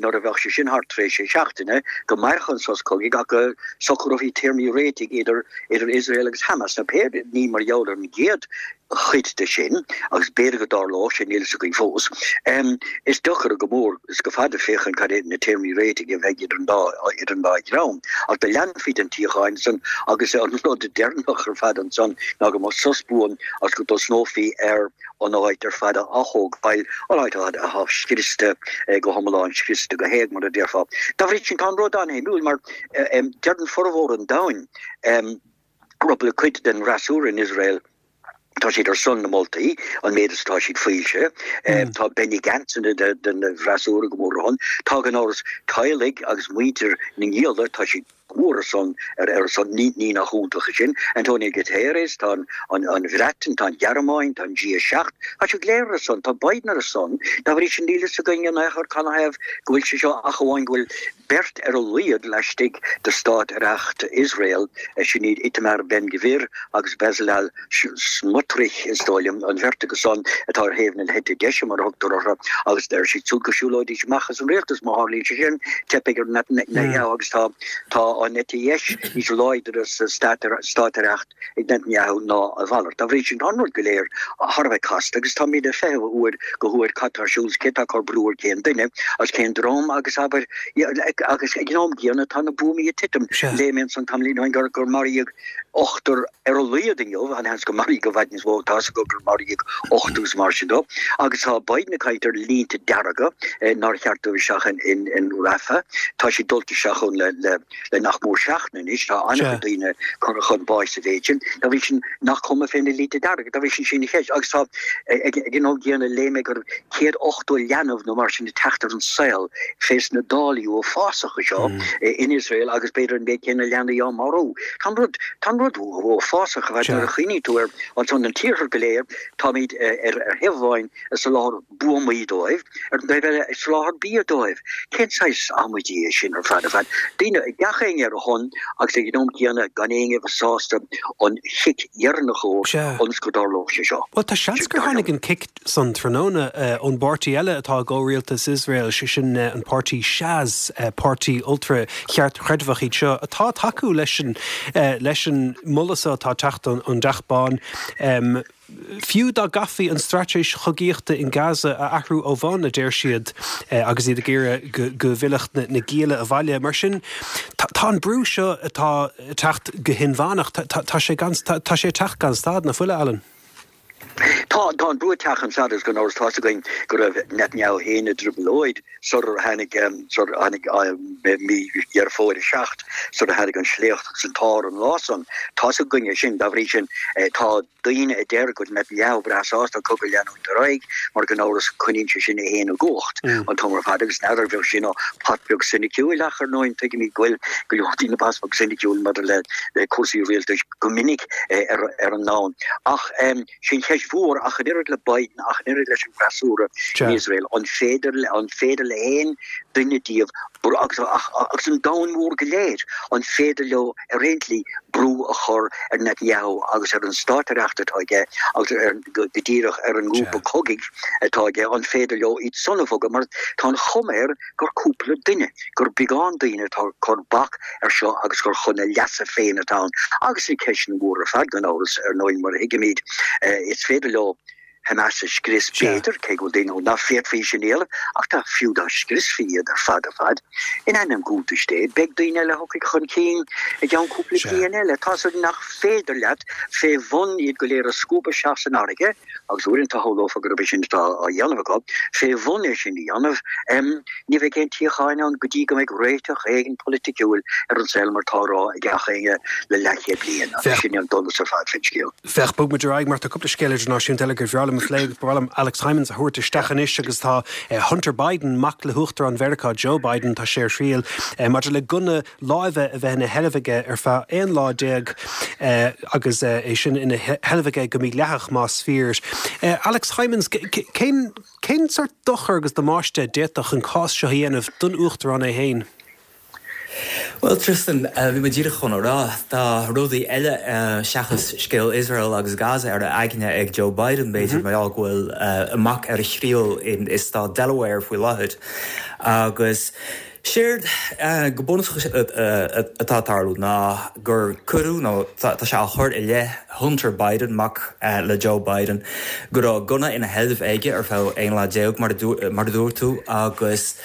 nuair a bheadh sé sin thart tar éis sé seachtaine, go mairfeadh an sos cogaidh ach go socrófaí téarmaí réitigh idir idir Iosrael agus Hamas. Now pé ní mar gheall ar an gcéad chuid de sin, agus b'fhéidir go dtarlódh sé, níl a fhios againn fós, is deacair go mór is go fada féachaint cad é na téarmaí réitigh a bheidh idir an dá idir an dá dhream. Ach do leanfaí den tsíocháin ansan agus an rud deireanach ar fad ansan ná go mbeadh sos buan agus go dtosnófaí ar an áit ar fad a athógáil, an áit ar fad atá scriosta go hiomlán, scriosta go héag, mar a déarfá. Dá bhrí sin, tá an rud an-shuimiúil mar deireann formhór an domhain, rud le cuid den fhreasúra in Iosrael, tá siad ar son na moltaí, an méid is atá siad foilsithe. Tá Benny Gantz den bhfreasúra go mór ar a shon. Tá gan amhras teaghlaigh agus muintir na ngialla, tá siad. go mór ar son, ar a son, ní nach iontach é sin. Antonio Guterres, tá an, an Bhreatain, tá an Ghearmáin, tá an G7, tá siad go léir ar a son, tá Biden ar a son. Dá bhrí sin níl fhios againn in aon chor canathaobh go bhfuil sé seo ach amháin go bhfuil beirt ar a laghad laistigh de stát-aireacht Iosrael, sin iad Itamar Ben Gvir agus Bezalel Smotrich, is dóigh liom, an bheirt acu san atá ar thaobh na heite deise, mar a thugtar orthu, agus deir siad siúd go siúlóidís amach as an rialtas má tharlaíonn sé sin, teipfidh ar Netanyahu agus tá tá an eite dheis níos láidre sa stát-aireacht ag Netanyahu ná a mhalairt. Dá bhrí sin, tá an rud go léir thar a bheith casta agus táimid ag feitheamh ó uair go huair cad tá ar siúl is cé atá ag cur brú ar cén duine agus cén dream agus abair agus ag an am gcéanna tá na buamaí ag titim. Léigh mé ansan tamaillín ó shin gur gur maraíodh ochtar ar a laghad inniu, an-sheans go maraíodh i bhfad níos mó, tá a fhios acu gur maraíodh ochtar agus mar sin de. Agus tá Biden ag caint ar línte dearga nár cheart dul isteach in Rafah. Tá siad dulta isteach ann le nach mór seachtain anois. Tá an-chuid daoine curtha chun báis sa mhéid sin. Dá bhrí sin, nach cuma fé na línte dearga? Dá bhrí sin, sin an cheist. Agus tá, ag an am gcéanna, léigh mé go raibh 180 leanbh nó mar sin ag teacht ar an saol fés na dálaí uafásacha seo in Iosrael agus b'fhéidir an méid céanna leanaí á marú. Tá an rud, tá an rud uafásach ar fad nuair a chuimhníonn tú air ansan an t-iarthar go léir, táimid ar thaobh amháin ag soláthar buamaí dóibh, ar an dtaobh eile ag soláthar bia dóibh. Cén saghas amaidí é sin ar fad ar fad? Daoine, gach éinne ar a shon agus ag an am céanna gan éinne a bheith sásta an chic dheireanach a thabhairt ionas go dtarlódh sé seo. Bhuel, tá seans gur tháinig an cic san tráthnóna ón bpáirtí eile atá i gcomhrialtas Iosrael, sé sin an páirtí Shas, páirtí ultra-cheartchreidmheach iad seo, atá ag tacú leis an leis an moladh seo atá ag teacht ón dTeach Bán. Fiú dá gcaithfí an straitéis chogaíochta in Gaza a athrú ó bhonn, a deir siad, agus iad ag iarraidh go go bhfillfeadh na gialla abhaile. Mar sin, tá an brú seo atá ag teacht go hinmheánach, tá sé gan, tá sé ag teacht gan stad, nach bhfuil, a Alan? Tá, tá an brú ag teacht gan stad agus gan amhras tá's againn go raibh Netanyahu féin i dtrioblóid sular tháinig, sular tháinig mí Dheireadh Fómhair 7, sular tháinig an sléacht agus an t-ár an lá san. Tá's againn é sin. Dá bhrí sin, tá daoine a deir go bhfuil Netanyahu breá sásta an cogadh a leanúint ar aghaidh mar gan amhras coinníonn sé sin é féin i gcumhacht an t-am ar fad agus n'fheadar bheadh sin pot beag soiniciúil ach ar ndóigh tuigimid go bhfuil go leor daoine pot beag soiniciúil maidir le cúrsaí rialtais go minic ar an ndomhan. Ach sin cheist mhór, ach an oiread le Biden, ach an oiread leis an bhfreasúra in Iosrael, an féidir an féidir le haon duine díobh agus agus an domhan mór go léir, an féidir leo ar aon tslí brú a chur ar Netanyahu agus ar an státaireacht atá aige agus ar go díreach ar an ngrúpa cogaidh atá aige, an féidir leo iad san a bhogadh? Mar tá an chuma air gur cúpla duine, gur beagán daoine atá ag cur bac air seo agus gur chun a leasa féin atá ann. Agus na ceisteanna móra ar fad, gan amhras, ar ndóigh, mar a thuigimid, is féidir leo Hamas a scrios, b'fhéidir, cé go bhfuil daoine ann nach bhféadfaí sin a dhéanamh, ach dá fiú dá scriosfaí iad ar fad ar fad, in ainm cuntais Dé, beidh daoine eile a thiocfaidh chun cinn i gceann cúpla bliain eile. Tá's agat nach féidir leat fé bhun iad go léir a scuabadh isteach san fharraige, agus uaireanta shamhlófá gurb é sin atá á dhéanamh acu, fé bhun é sin a dhéanamh, ní bheidh aon tsíocháin ann go dtí go mbeidh réiteach éigin polaiticiúil ar an saol mar atá á rá ag gach éinne le leathchéad bliain, agus sin é an donas ar fad fén scéal. Féach, bog muid ar aghaidh mar tá cúpla scéal idirnáisiúnta eile gur bhreá liom. liom a phlé agus ba mhaith liom Alex Hijmans a thabhairt isteach anois agus tá Hunter Biden, mac le hUachtarán Mheiriceá Joe Biden, tá sé ar thriail maidir le gunna láimhe a bheith ina sheilbh aige ar feadh 11 lá agus é sin ina sheilbh aige go mídhleathach más fíor. Alex Hijmans, cén cén sórt dochar agus damáiste a d'fhéadfadh an cás seo a dhéanamh don Uachtarán é féin? Bhuel, Tristan, bhí mé díreach chun a rá, tá rudaí eile seachas scéal Iosrael agus Gaza ar a aigne ag Joe Biden, b'fhéidir, mar gheall go bhfuil a mhac ar a thriail i stát Delaware faoi láthair. Agus séard go bunúsach atá ag tarlú ná gur cuireadh, nó tá sé á chur i leith Hunter Biden, mac le Joe Biden, go raibh gunna ina sheilbh aige ar feadh 11 lá, mar a dúirt tú, agus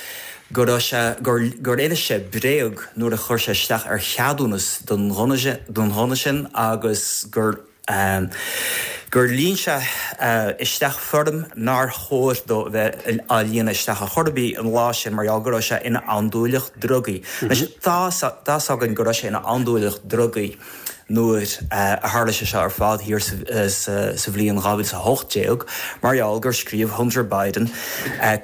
go raibh sé, gur, gur inis sé bréag nuair a chuir sé isteach ar cheadúnas don ghunna, don ghunna sin agus gur, gur líon sé isteach foirm nár chóir dó a bheith á líonadh isteach ar chor ar bith an lá sin mar gheall go raibh sé ina andúileach drugaí. Anois, tá, tá 's againn go raibh sé ina andúileach drugaí. nuair a tharla sé seo ar fad thiar sa bhliain 2018, mar gheall gur scríobh Hunter Biden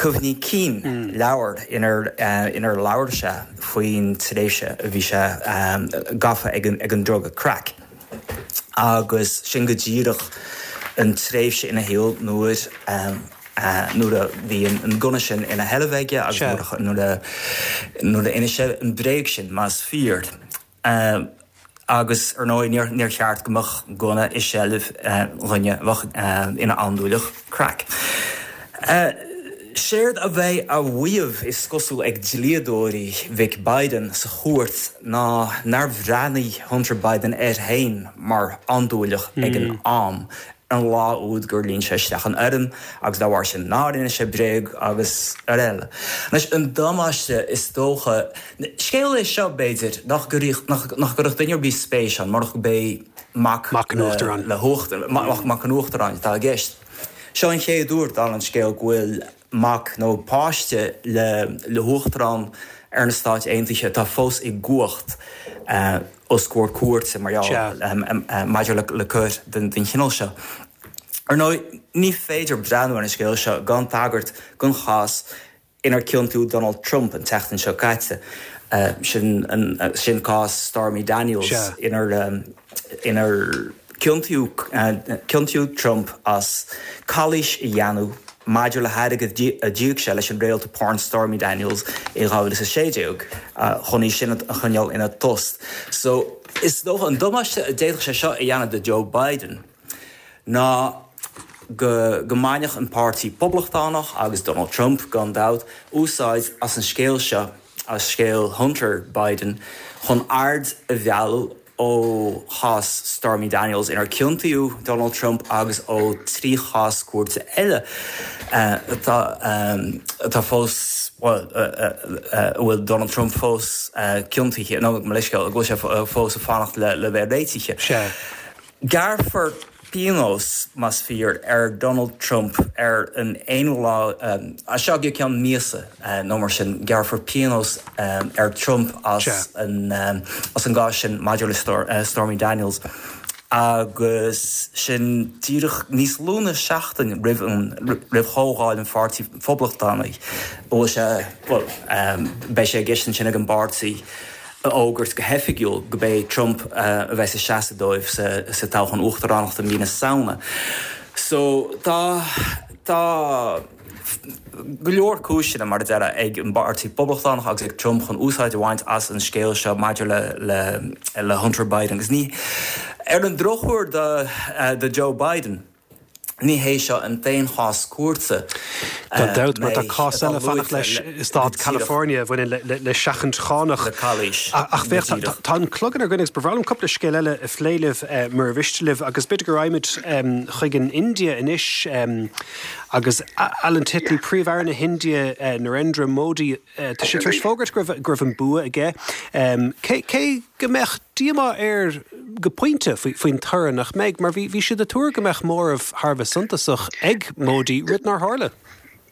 cuimhní cinn, leabhar inar labhair sé faoin tréimhse a bhí sé gafa ag an druga crack. Agus sin go díreach an tréimhse ina shaol nuair nuair a bhí an gunna sin ina sheilbh aige agus nuair a inis sé an bhréag sin, más fíor. Agus, ar ndóigh, níor cheart go mbeadh gunna i seilbh dhuine a bheadh ina andúileach crack. Séard a bheidh á mhaíomh, is cosúil, ag dlíodóirí mhic Biden sa chúirt ná nár bhreathnaigh Hunter Biden air féin mar andúileach ag an am, an lá úd gur líon sé isteach an fhoirm agus dá bharr sin nár inis sé bréag agus araile. Anois, an damáiste is dócha, scéal é seo, b'fhéidir, nach gcuirfeadh duine ar bith spéis ann murach gurb é mac Mac an Uachtaráin. le huachtar, mac an Uachtaráin atá i gceist. Seo an chéad uair, dála an scéil, go bhfuil mac nó páiste le huachtarán ar na Stáit Aontaithe atá fós i gcumhacht os comhair cúirte mar gheall maidir le coir den chineál seo. Ar ndóigh, ní féidir breathnú ar an scéal seo gan tagairt don chás inar ciontaíodh Donald Trump an tseachtain seo caite, sin cás Stormy Daniels inar inar ciontaíodh Trump as calaois a dhéanamh maidir le hairgead a d'íoc sé leis an réalta porn Stormy Daniels i 2016 chun í sin a choinneáil ina tost. So, is dócha, an damáiste a d'fhéadfadh sé seo a dhéanamh do Joe Biden ná go go mbainfeadh an Páirtí Poblachtánach, agus Donald Trump gan dabht, úsáid as an scéal seo, as scéal Hunter Biden, chun aird a mhealladh ó chás Stormy Daniels inar ciontaíodh Donald Trump agus ó 3 chás cúirte eile atá atá fós, bhuel, a bhfuil Donald Trump fós ciontaithe, nó mo leithscéal, go bhfuil sé fós ag fanacht le bheith réitithe. Sea. Gearrfar pionós, más fíor, ar Donald Trump ar an aonú lá, as seo go ceann míosa nó mar sin, gearrfar pionós ar Trump as an as an gcás sin maidir le Stormy Daniels agus sin díreach níos lú na seachtain roimh an roimh chomhdháil an Pháirtí Phoblachtánaigh a bhfuil sé, bhuel, beidh sé i gceist ansin ag an bpáirtí. a fhógairt go hoifigiúil go b'é Trump a bheas ag seasamh dóibh sa toghchán uachtaránachta mí na Samhna. So tá tá go leor cúiseanna, mar a déarfá, ag an bPáirtí Poblachtánach agus ag Trump chun úsáid a bhaint as an scéal seo maidir le le le Hunter Biden. Agus ní, ar an drochuair do do Joe Biden, Ní hé seo an t-aon chás cúirte Gan dabht, mar tá cás eile fanacht leis i stát California a bhaineann le seachaint chánach. Le calaois. Ach féach, tá an clog inár gcoinne agus ba bhreá liom cúpla scéal eile a phlé libh, mura mhiste libh, agus b'fhéidir go raghaimid chuig an India anois agus Alan Titley, Príomh-Aire na hIndia, Narendra Modi, Tá sé tar éis fógairt go raibh an bua aige. Cé go mbeadh díomá air go pointe faoin toradh, nach mbeidh? Mar bhí siad ag tuar go mbeadh móramh thar a bheith suntasach ag Modi, rud nár tharla.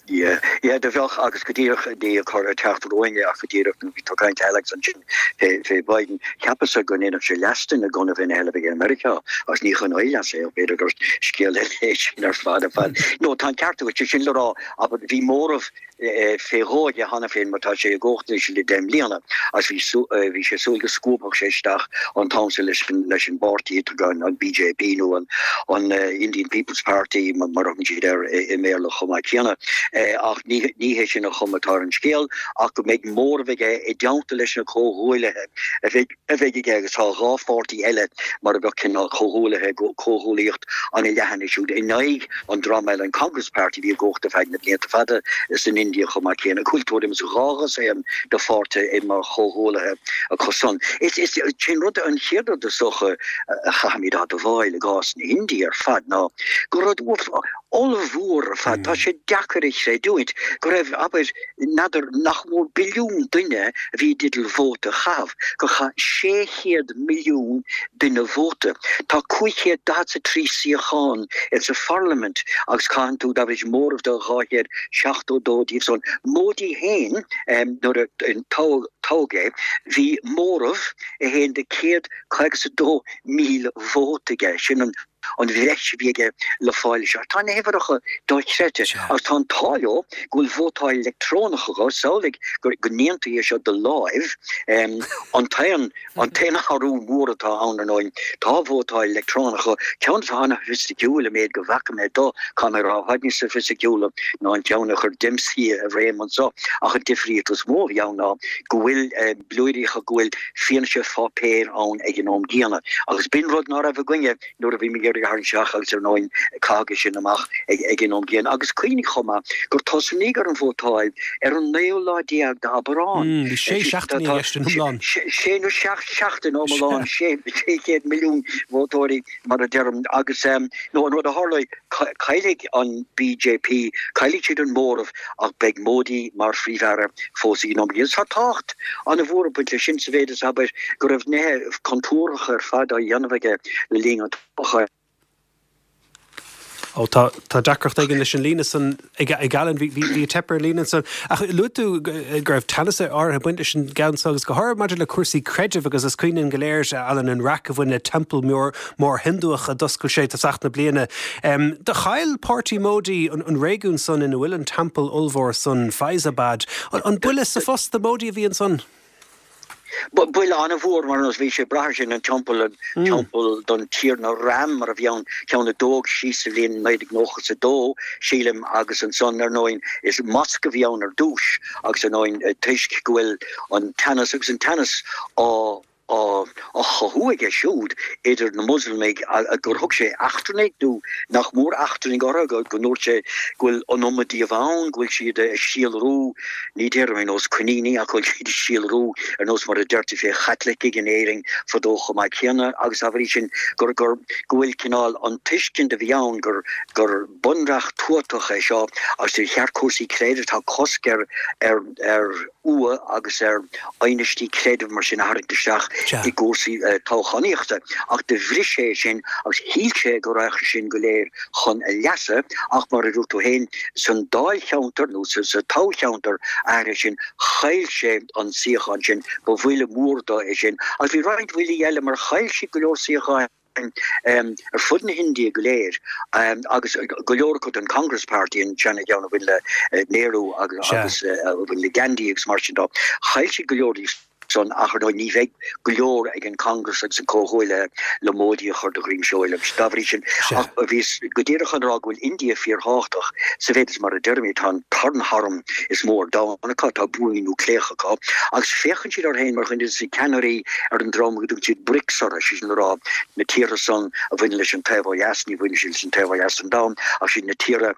Yeah, yeah, do bheadh agus go díreach ní ag cur ag teacht romhainn é ach go díreach nuair a bhí tú ag caint Alex ansin fé, fé Biden, cheapas-sa go ndéanfadh sé leas dúinn i gcónaí a bheith ina sheilbh aige i Meiriceá agus ní chun ár leasa é ach b'fhéidir gur scéal eile é sin ar fad ar fad. No, tá an ceart agat, sé sin le rá, abair, bhí móramh fé dhó aige cheana féin mar tá sé i gcumhacht anois le 10 mbliana agus bhí, bhí sé ag súil go scuabfadh sé isteach an t-am sin leis an, leis an bpáirtí atá an BJP nó an, an Indian People's Party mar a thugann siad air i mBéarla chomh maith céanna. Ach ní, ní hé sin an chuma atá ar an scéal ach go mbeidh móramh aige i dteannta leis na comhghuaillithe a bheidh, a bheidh aige agus tá 2 pháirtí eile mar a bheadh cineál comhghuaillithe, comhghuaillíocht an-leathan siúd in aghaidh an dream eile, an Congress Party a bhí i gcumhacht ar feadh na blianta fada san India chomh maith céanna, go bhfuil tuairim is 2 dhosaen de pháirtithe mar chomhghuaillithe acu san. Is é an rud, an chéad rud is dócha a chaithfimid a admháil i gcás na hIndia ar fad ná gur rud ollmhór ar fad, tá sé deacair a chreidiúint go raibh, abair, n'fheadar, nach mór billiún duine a bhí i dteideal vóta a chaitheamh, gur chaith 600 milliún duine vóta. Tá 543 suíochán insa pharlaimint agus caitheann tú, dá bhris, móramh de 272 díobh san. Modi féin, nuair a toghadh é, bhí móramh 1 de 152,000 vóta aige. Sin an. an bhreis a bhí aige le fáil isteach. Tá na huimhreacha dochreidte agus tá an t-ádh leo go bhfuil vótáil leictreonach acu, samhlaigh go ndéantaí é seo de láimh. An t-aon an t-aon athrú mór atá ann, ar ndóigh, tá vótáil leictreonach acu, ceann atá an-shoifisticiúil an méid go bhfaca mé de, caithfidh mé a rá, i bhfad níos soifisticiúla ná an ceann a chuir Dempsey i réim anseo ach an difríocht is mó a bhí ann ná go bhfuil blúiríocha go bhfuil fianaise pháipéir ann ag an am gcéanna. Agus b'in rud ná raibh againne nuair a bhí mé ag iarraidh a tharraingt isteach agus ar ndóigh caitheadh é sin amach ag an am gcéanna. Agus cuimhnigh chomh maith gur tosnaíodh ar an vótáil ar an naoú lá déag d'Aibreán. Bhí sé seachtainí i gceist in iomlán. Sé nó seacht seachtain iomlán, 600 milliún vótóirí mar a deirim. Agus nó an rud a tharlóidh, caillfidh an BJP, caillfidh siad an móramh ach beidh Modi mar Phríomh-Aire fós ag an am gcéanna. Tá tábhacht an-mhór ag baint leis sin sa mhéid is, abair, go raibh nithe contúirteacha ar fad á dhéanamh aige le linn an toghcháin. Ó, tá, tá deacracht éigin leis an líne san ag, ag Alan, bhí, bhí, bhí teip ar an líne ansan. Ach luaigh tú go raibh teannas áirithe ag baint leis an gceann so agus go háirithe maidir le cúrsaí creidimh agus is cuimhin linn go léir, Alan, an raic a bhain le teampall mór, mór Hiondúch a d'oscail sé tosach na bliana. Do chaill páirtí Modi an réigiún san ina bhfuil an teampall ollmhór san, Faizabad. An buille sa phus do Modi a bhí ansan? Buille an-mhór mar nós bhí sé ag brath air sin, an teampall, an teampall don Tiarna Ram mar a bhí ann, ceann a dódh síos sa bhliain 1992, sílim, agus ansan ar ndóigh is mosque a bhí ann ar dtús agus ar ndóigh toisc go bhfuil an teannas agus an teannas á á chothú aige siúd idir na Muslamaigh gur thug sé eachtrannaigh nó nach mór eachtrannaigh orthu, go ndúirt sé go bhfuil an iomad díobh ann, go bhfuil siad ag síolrú, ní déarfaidh mé ar nós coiníní ach go bhfuil siad ag síolrú ar nós mar a deirtí fé Chaitlicigh in Éirinn fadó chomh maith céanna agus dá bhrí sin gur gur go bhfuil cineál an tuiscint a bhí ann gur gur bunreacht tuatach é seo agus ar cheart cúrsaí creidimh, tá cosc ar ar ar. fhuath agus ar aighneastaí creidimh mar sin a tharraingt isteach i gcúrsaí toghchánaíochta. Ach do bhris sé é sin agus shíl sé go raghadh sin go léir chun a leasa ach mar a dúirt tú féin, san dáilcheantar nó sa toghcheantar áirithe sin, chaill sé an suíochán sin. Ba bhuille mór dó é sin. Agus bhí roinnt bhuillí eile mar chaill siad go leor suíocháin. ar fud na hIndia go léir agus go leor acu don Congress Party, an seana-cheann a bhain le Nehru agus a bhain le Gandhi agus mar sin dó. Chaill siad go leor díobh san ach ar ndóigh ní bheidh go leor ag an Congress agus an comhghuaillithe le Modi a chur de dhroim seoil agus dá bhrí sin ach bhíos go díreach chun a rá go bhfuil India fíorthábhachtach sa mhéid is mar a deirimid tá an tarna harm is mó ar domhan acu, tá buamaí núicléacha acu agus féachann siad orthu féin mar dhuine de na ceannairí ar an dream go dtugann siad BRICS orthu, sé sin le rá na tíortha san a bhaineann leis an taobh ó dheas, ní bhaineann siad leis an taobh ó dheas den domhan ach siad na tíortha,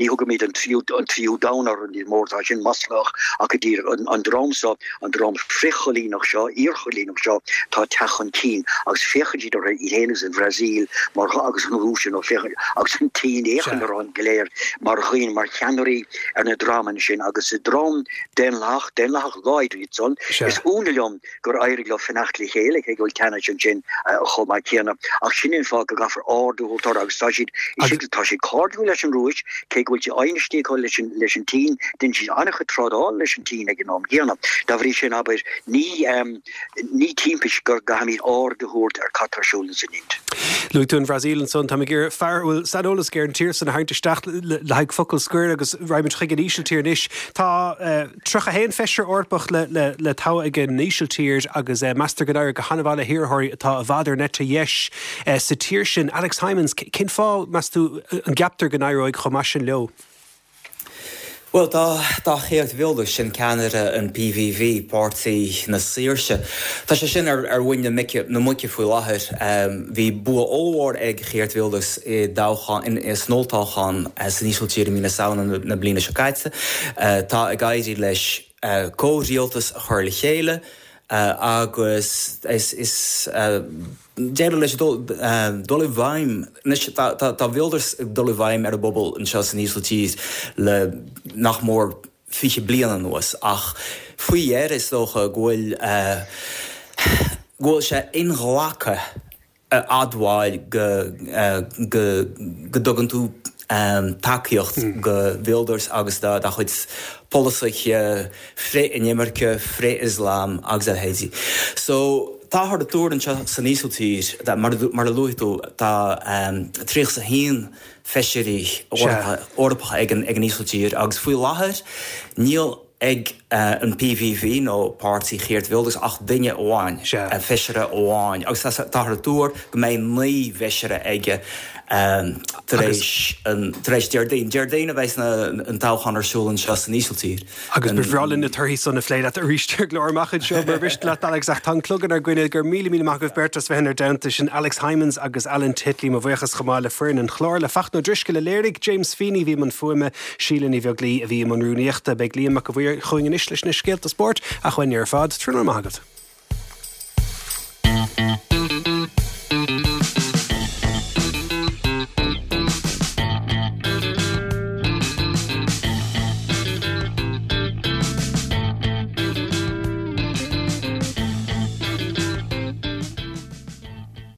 ní thugaimid an tríú an tríú domhan orthu níos mó, tá sin maslach ach go díreach an dream so, an dream frithchoilíneach. choilíneach seo, iarchoilíneach seo, atá ag teacht chun cinn agus féachann siad orthu iad féin agus an Bhrasaíl mar agus an Rúis you know féachann agus an tSín féachann orthu go léir mar dhaoine, mar cheannairí ar na dreamanna sin agus is dream daonlathach, daonlathach láidir iad san. Is ionadh liom gur éirigh leo fanacht le chéile, cé go bhfuil teannas ansin chomh maith céanna. Ach sin é an fáth go gcaithfear aird a thabhairt orthu agus tá siad, tá siad cairdiúil leis an Rúis, cé go bhfuil sé ainnistí acu leis an, leis an tSín, déanann siad an-chuid trádála leis an tSín ag an am gcéanna. Dá bhrí sin, abair, ní, ní timpist go gcaithfimid aird a thabhairt ar cad tá ar siúl ins an Ind. Luaigh tú an Bhrasaíl ansan. Táim ag iarraidh fear a bhfuil saineolas aige ar an tír san a tharraingt isteach le haghaidh focal scoir agus raghaimid chuig an Ísiltír anois. Tá 31 feisire Eorpach le toghadh ag an Ísiltír agus meastar go n-éireoidh go han-mhaith le hiarrthóirí atá i bhfad ar an eite dheis sa tír sin. Alex Hijmans, cén fáth, meas tú, an gceaptar go n-éireoidh chomh maith sin leo? Bhuel, tá tá Geert Wilders, sin ceannaire an PVV, Páirtí na Saoirse, tá sé sin ar ar mhuin na mice na muice faoi láthair. Bhí bua ollmhór ag Geert Wilders i dtoghchán in san olltoghchán san Ísiltír i mí na Samhna na bliana seo caite. Tá ag éirí leis comhrialtas a chur le chéile agus is is D'éirigh leis dul dul i bhfeidhm. Anois tá tá Wilders ag dul i bhfeidhm ar an bpobal anseo san Ísiltír le nach mór 20 bliain anuas ach faoi dheireadh is dócha go bhfuil go bhfuil sé inghlactha a admháil go go go dtugann tú tacaíocht go Wilders agus dá chuid polasaithe frith-inimirce, frith-Ioslam agus a leithéidí. So, táthar ag tuar anseo san Ísiltír, mar a luaigh tú, tá 31 feisirí Eorpacha ag an Ísiltír agus faoi láthair níl ag an PVV nó páirtí Geert Wilders ach duine amháin, feisire amháin agus táthar ag tuar go mbeidh 9 bhfeisire aige tar éis tar éis Déardaoin. Déardaoin a bheas an toghchán ar siúl anseo san Ísiltír. Agus ba bhreá linn na torthaí san a phlé leat arís ar an gclár amach anseo mura mhiste leat Alex ach tá an clog inár gcoinne. Go raibh míle míle maith agaibh beirt as bheith inár dteannta. Sin Alex Hijmans agus Alan Titley. Mo bhuíochas chomh maith le foireann an chláir, le Fachtna Ó Drisceoil a léirigh, James Feeney a bhí i mbun fuaime, Síle Ní Bheaglaoí a bhí i mbun rúnaíochta. Beidh Liam Mac a' Mhaoir chugainn anois leis na scéalta spóirt ach uainne ar fad, tráthnóna maith agaibh.